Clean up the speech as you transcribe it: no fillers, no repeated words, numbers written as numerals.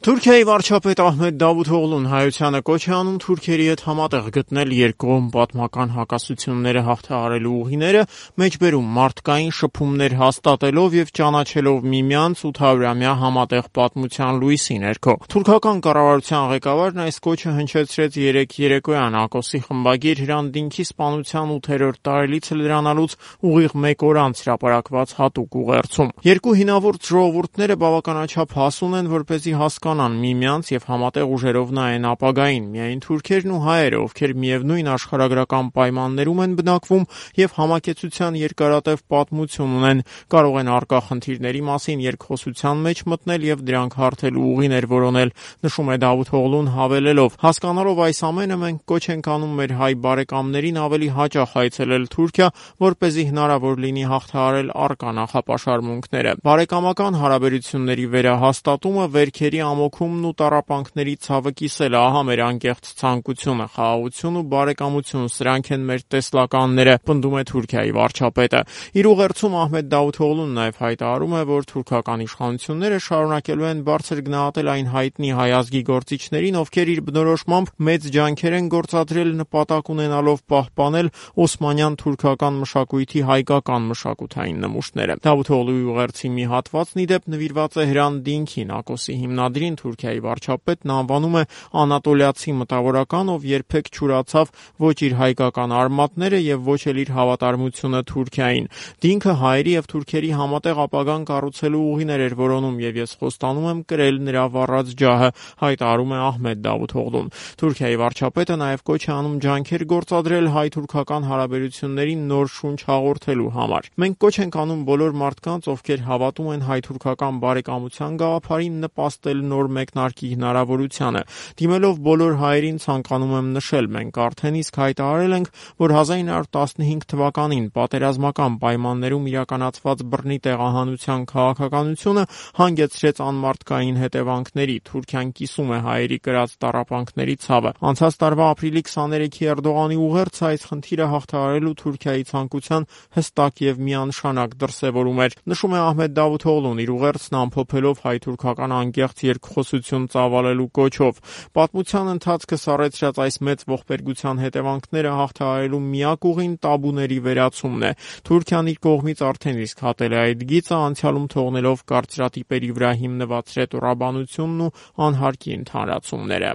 Թուրքիայի վարչապետ Ահմեդ Դավութօղլուն Հայությանը կոչ է անում Թուրքերի հետ համատեղ գտնել երկկողմ պատմական հակասությունները հաղթահարելու ուղիները, մեջբերում մարդկային շփումներ հաստատելով եւ ճանաչելով միմյանց 800-ամյա համատեղ պատմության լույսի ներքո։ Թուրքական կառավարության ղեկավարն այս կոչը հնչեցրեց երեկ երեկոյան Ակոսի խմբագիր Հրանտ-Դինքի սպանության 8-րդ տարելիցը լրանալուց ուղիղ 1 օր անց հրապարակված հատուկ ուղերձում։ Երկու հինավուրց ժողովուրդները բավականաչափ հասուն են, որպեսզի հասկանան միմյանց եւ համատեղ ուժերով նայեն ապագային։ Միայն թուրքերն ու հայերը, ովքեր միևնույն աշխարհագրական պայմաններում են բնակվում եւ համակեցության երկարատև պատմություն ունեն, կարող են առկա խնդիրների մասին երկխոսության մեջ մտնել եւ դրանք հարթելու ուղիներ որոնել, նշում է Դավութօղլուն հավելելով. հասկանալով այս ամենը մենք կոչ ենք անում մեր հայ բարեկամներին ավելի հաճախ այցելել Թուրքիա, որպեսզի հնարավոր լինի հաղթահարել առկա նախապաշարմունքները։ Բարեկամական հարաբերությունների վերահաստատումը, վերքերի ամոքումն ու տառապանքների ցավը կիսելը, ահա մեր անկեղծ ցանկությունը, խաղաղություն ու բարեկամություն, սրանք են մեր տեսլականները, պնդում է Թուրքիայի վարչապետը։ Իր ուղերձում Ահմեդ Դավութօղլուն նաև հայտարարում է, որ թուրքական իշխանությունները շարունակելու են բարձր գնահատել այն հայտնի հայ ազգի գործիչներին, ովքեր իր բնորոշմամբ մեծ ջանքեր են գործադրել նպատակ ունենալով պահպանել օսմանյան թուրքական մշակույթի հայկական մշակութային նմուշները։ Դավութօղլուի ուղերձի մի հատվածն ի դեպ նվիրված է Հրանտ-Դինքին, Ակոսի հիմնադրին Թուրքիայի վարչապետն անվանում է անատոլիացի մտավորական, ով երբեք չուրացավ ոչ իր հայկական արմատները եւ ոչ էլ իր հավատարմությունը Թուրքիային։ Դինքը հայերի եւ թուրքերի համատեղ ապագան կառուցելու ուղիներ էր որոնում եւ ես խոստանում եմ կրել նրա վառած ջահը, հայտարարում է Ահմեդ Դավութօղլուն։ Թուրքիայի վարչապետը նաեւ կոչ է անում ջանքեր գործադրել հայ-թուրքական հարաբերություններին նոր շունչ հաղորդելու համար։ Մենք կոչ ենք անում բոլոր մարդկանց, ովքեր հավատում են հայ-թուրքական բարեկամության գաղափարին, նպաստել նոր մեկնարկի հնարավորությանը։ Դիմելով բոլոր հայերին ցանկանում եմ նշել, մենք արդեն իսկ հայտարարել ենք, որ 1915 թվականին պատերազմական պայմաններում իրականացված բռնի տեղահանության քաղաքականությունը հանգեցրեց անմարդկային հետևանքների։ Թուրքիան կիսում է հայերի կրած տառապանքների ցավը։ Անցած տարվա ապրիլի 23-ի Էրդողանի ուղերձը այս խնդիրը հաղթահարելու Թուրքիայի ցանկության հստակ եւ միանշանակ դրսեւորում էր, նշում է Ահմեդ Դավութօղլուն իր ուղերձն ամփոփելով հայ-թուրքական անկեղծ երկխոսություն ծավալելու կոչով։ Պատմության ընթացքը սառեցրած այս մեծ ողբերգության հետևանքները հաղթահարելու միակ ուղին տաբուների վերացումն է։ Թուրքիան իր կողմից արդեն իսկ հատել է այդ գիծը, անցյալում թողնելով կարծրատիպերի վրա հիմնված ռետորաբանությունն ու անհարկի ընդհանրացումները։